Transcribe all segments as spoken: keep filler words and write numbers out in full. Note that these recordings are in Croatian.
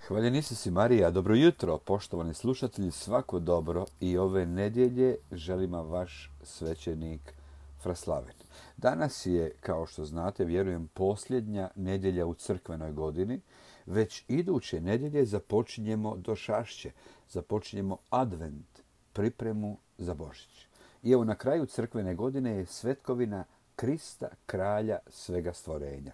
Hvaljeni si Marija, dobro jutro, poštovani slušatelji, svako dobro i ove nedjelje želim vam vaš svećenik Fraslavin. Danas je, kao što znate, vjerujem, posljednja nedjelja u crkvenoj godini. Već iduće nedjelje započinjemo došašće, započinjemo advent, pripremu za Božić. I evo na kraju crkvene godine je svetkovina Krista, kralja svega stvorenja.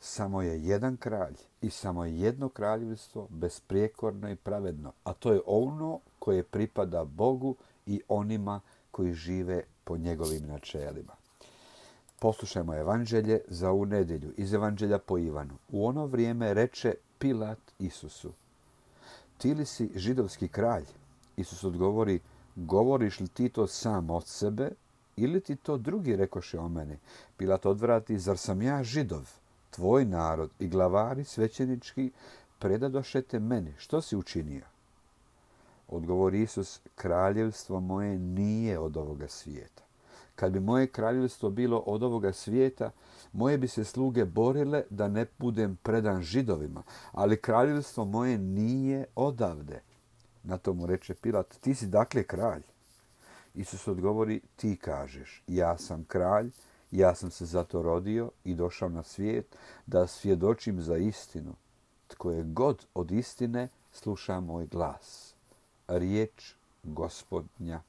Samo je jedan kralj i samo je jedno kraljevstvo besprijekorno i pravedno, a to je ono koje pripada Bogu i onima koji žive po njegovim načelima. Poslušajmo evanđelje za ovu nedjelju iz evanđelja po Ivanu. U ono vrijeme reče Pilat Isusu: ti li si židovski kralj? Isus odgovori: govoriš li ti to sam od sebe ili ti to drugi rekoše o meni? Pilat odvrati: zar sam ja Židov? Tvoj narod i glavari svećenički predadoše te meni. Što si učinio? Odgovori Isus: kraljevstvo moje nije od ovoga svijeta. Kad bi moje kraljevstvo bilo od ovoga svijeta, moje bi se sluge borile da ne budem predan Židovima, ali kraljevstvo moje nije odavde. Na to mu reče Pilat: ti si dakle kralj? Isus odgovori: ti kažeš, ja sam kralj. Ja sam se zato rodio i došao na svijet da svjedočim za istinu. Tko je god od istine sluša moj glas. Riječ Gospodnja.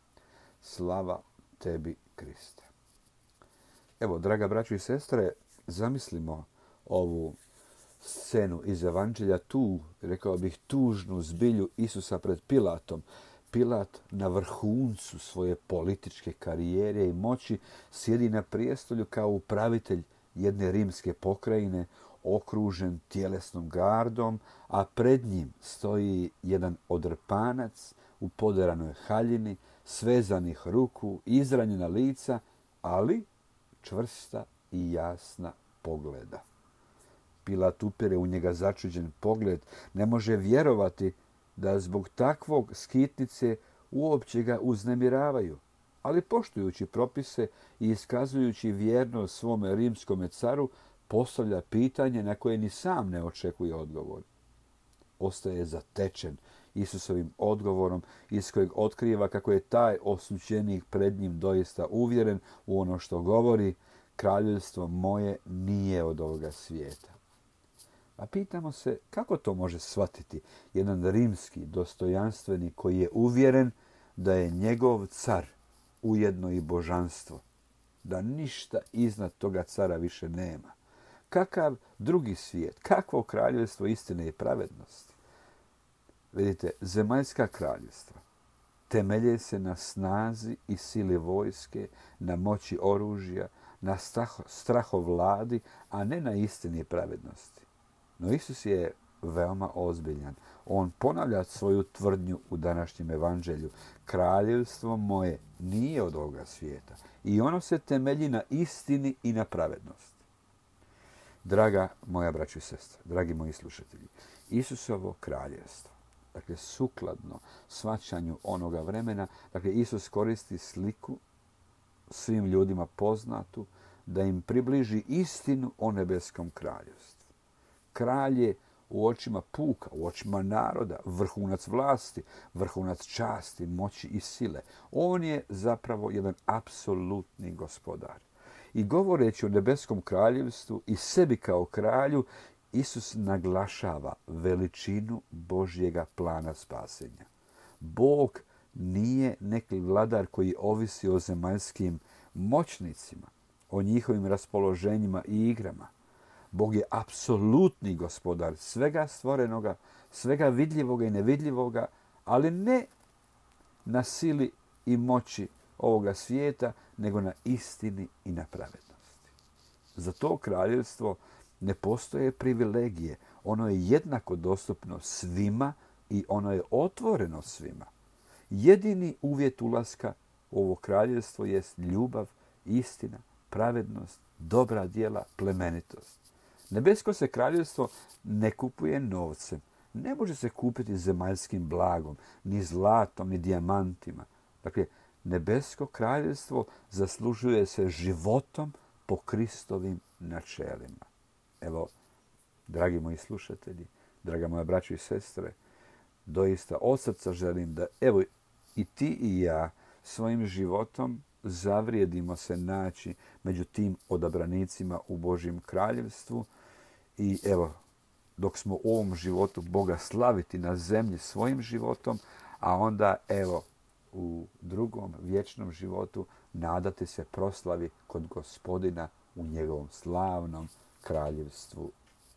Slava tebi, Kriste. Evo, draga braćo i sestre, zamislimo ovu scenu iz evanđelja, tu, rekao bih, tužnu zbilju Isusa pred Pilatom. Pilat na vrhuncu svoje političke karijere i moći sjedi na prijestolju kao upravitelj jedne rimske pokrajine, okružen tjelesnom gardom, a pred njim stoji jedan odrpanac u poderanoj haljini, svezanih ruku, izranjena lica, ali čvrsta i jasna pogleda. Pilat upire u njega začuđen pogled, ne može vjerovati da zbog takvog skitnice uopće ga uznemiravaju, ali poštujući propise i iskazujući vjernost svome rimskome caru, postavlja pitanje na koje ni sam ne očekuje odgovor. Ostaje zatečen Isusovim odgovorom iz kojeg otkriva kako je taj osuđenik pred njim doista uvjeren u ono što govori: kraljevstvo moje nije od ovoga svijeta. A pitamo se kako to može shvatiti jedan rimski dostojanstvenik koji je uvjeren da je njegov car ujedno i božanstvo, da ništa iznad toga cara više nema. Kakav drugi svijet, kakvo kraljevstvo istine i pravednosti? Vidite, zemaljska kraljevstva temelje se na snazi i sili vojske, na moći oružja, na strahovladi, a ne na istini i pravednosti. No Isus je veoma ozbiljan. On ponavlja svoju tvrdnju u današnjem evanđelju. Kraljevstvo moje nije od ovoga svijeta i ono se temelji na istini i na pravednosti. Draga moja braćo i sestre, dragi moji slušatelji, Isusovo kraljevstvo, dakle sukladno shvaćanju onoga vremena, dakle Isus koristi sliku svim ljudima poznatu da im približi istinu o nebeskom kraljevstvu. Kralj je u očima puka, u očima naroda, vrhunac vlasti, vrhunac časti, moći i sile. On je zapravo jedan apsolutni gospodar. I govoreći o nebeskom kraljevstvu i sebi kao kralju, Isus naglašava veličinu Božjega plana spasenja. Bog nije neki vladar koji ovisi o zemaljskim moćnicima, o njihovim raspoloženjima i igrama. Bog je apsolutni gospodar svega stvorenoga, svega vidljivoga i nevidljivoga, ali ne na sili i moći ovoga svijeta, nego na istini i na pravednosti. Za to kraljevstvo ne postoje privilegije. Ono je jednako dostupno svima i ono je otvoreno svima. Jedini uvjet ulaska u ovo kraljevstvo jest ljubav, istina, pravednost, dobra djela, plemenitost. Nebesko se kraljevstvo ne kupuje novcem. Ne može se kupiti zemaljskim blagom, ni zlatom, ni dijamantima. Dakle, nebesko kraljevstvo zaslužuje se životom po Kristovim načelima. Evo, dragi moji slušatelji, draga moja braćo i sestre, doista od srca želim da, evo, i ti i ja svojim životom zavrijedimo se naći među tim odabranicima u Božjem kraljevstvu i evo, dok smo u ovom životu Boga slaviti na zemlji svojim životom, a onda evo u drugom vječnom životu nadati se proslavi kod Gospodina u njegovom slavnom kraljevstvu.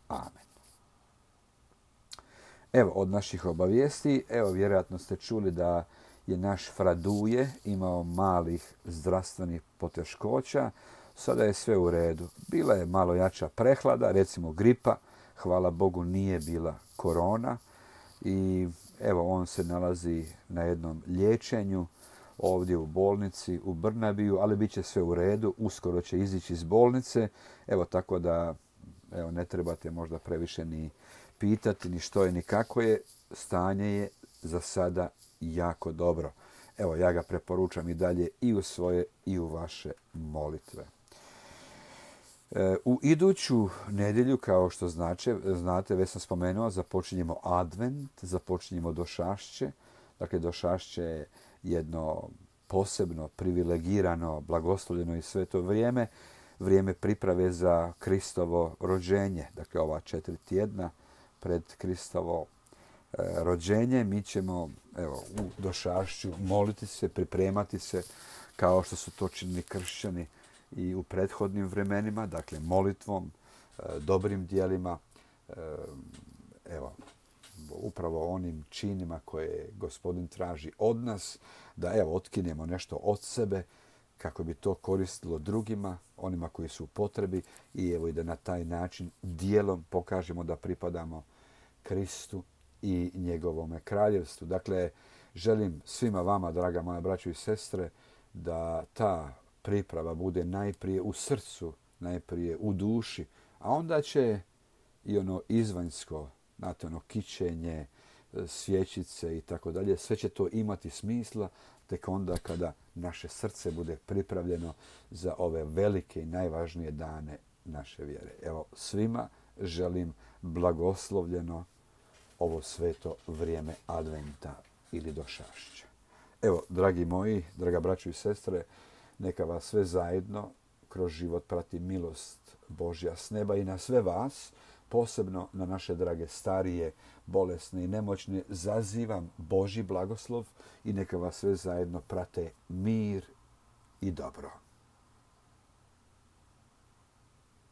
Amen. Evo, od naših obavijesti, evo, vjerojatno ste čuli da je naš Fraduje imao malih zdravstvenih poteškoća. Sada je sve u redu. Bila je malo jača prehlada, recimo gripa. Hvala Bogu nije bila korona. I evo, on se nalazi na jednom liječenju ovdje u bolnici u Brnabiju, ali bit će sve u redu. Uskoro će izići iz bolnice. Evo, tako da evo, ne trebate možda previše ni pitati ni što je ni kako je. Stanje je za sada jako dobro. Evo, ja ga preporučam i dalje i u svoje i u vaše molitve. E, u iduću nedjelju, kao što znači, znate, već sam spomenuo, započinjemo advent, započinjemo došašće. Dakle, došašće je jedno posebno, privilegirano, blagoslovljeno i sveto vrijeme, vrijeme priprave za Kristovo rođenje. Dakle, ova četiri tjedna pred Kristovo e, rođenje mi ćemo evo, u došašću moliti se, pripremati se kao što su to činili kršćani i u prethodnim vremenima, dakle molitvom, e, dobrim dijelima, e, evo, upravo onim činima koje Gospodin traži od nas, da evo otkinemo nešto od sebe kako bi to koristilo drugima, onima koji su u potrebi i evo i da na taj način dijelom pokažemo da pripadamo Kristu i njegovome kraljevstvu. Dakle, želim svima vama, draga moja braćo i sestre, da ta priprava bude najprije u srcu, najprije u duši, a onda će i ono izvanjsko, znate, ono kićenje, svjećice i tako dalje, sve će to imati smisla tek onda kada naše srce bude pripravljeno za ove velike i najvažnije dane naše vjere. Evo, svima želim blagoslovljeno ovo sveto vrijeme adventa ili došašća. Evo, dragi moji, draga braćo i sestre, neka vas sve zajedno kroz život prati milost Božja s neba i na sve vas, posebno na naše drage starije, bolesne i nemoćne, zazivam Božji blagoslov i neka vas sve zajedno prate mir i dobro.